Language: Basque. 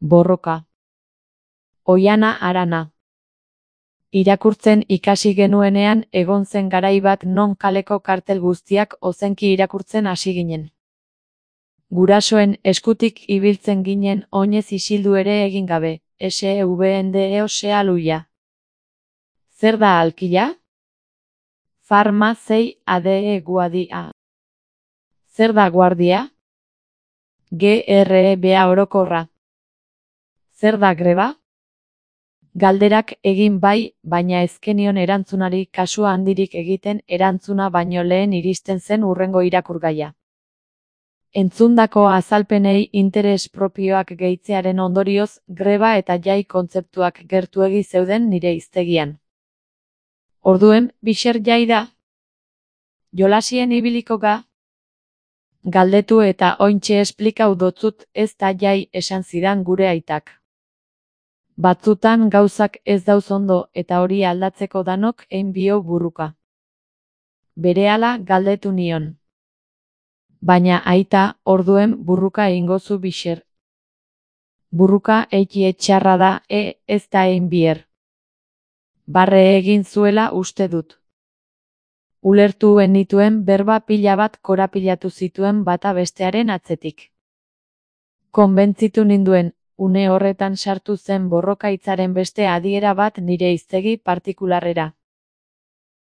Borroka. Oihana Arana. Irakurtzen ikasi genuenean egon zen garai bat non kaleko kartel guztiak ozenki irakurtzen hasi ginen. Gurasoen eskutik ibiltzen ginen oinez isildu ere egin gabe, SVNDEOSEALUIA. Zer da alkila? Farmazei ADE guadia. Zer da guardia? GREBA orokorra. Zer da greba? Galderak egin bai, baina ez genion erantzunari kasu handirik egiten erantzuna baino lehen iristen zen hurrengo irakurgaia. Entzundako azalpenei interes propioak gehitzearen ondorioz, greba eta jai kontzeptuak gertuegi zeuden nire hiztegian. Orduen, bixer jai da? Jolasien ibiliko ga? Galdetu eta ointxe esplikau dotzut ez da jai esan zidan gure aitak. Batzutan gauzak ez dauz ondo eta hori aldatzeko danok ein bio burruka. Berehala galdetu nion. Baina aita, orduen burruka eingozu bixer. Burruka eiki etxarra da, ez da ein bier. Barre egin zuela uste dut. Ulertu nituen berba pila bat korapilatu zituen bata bestearen atzetik. Konbentzitu ninduen, une horretan sartu zen borroka hitzaren beste adiera bat nire hiztegi partikularrera.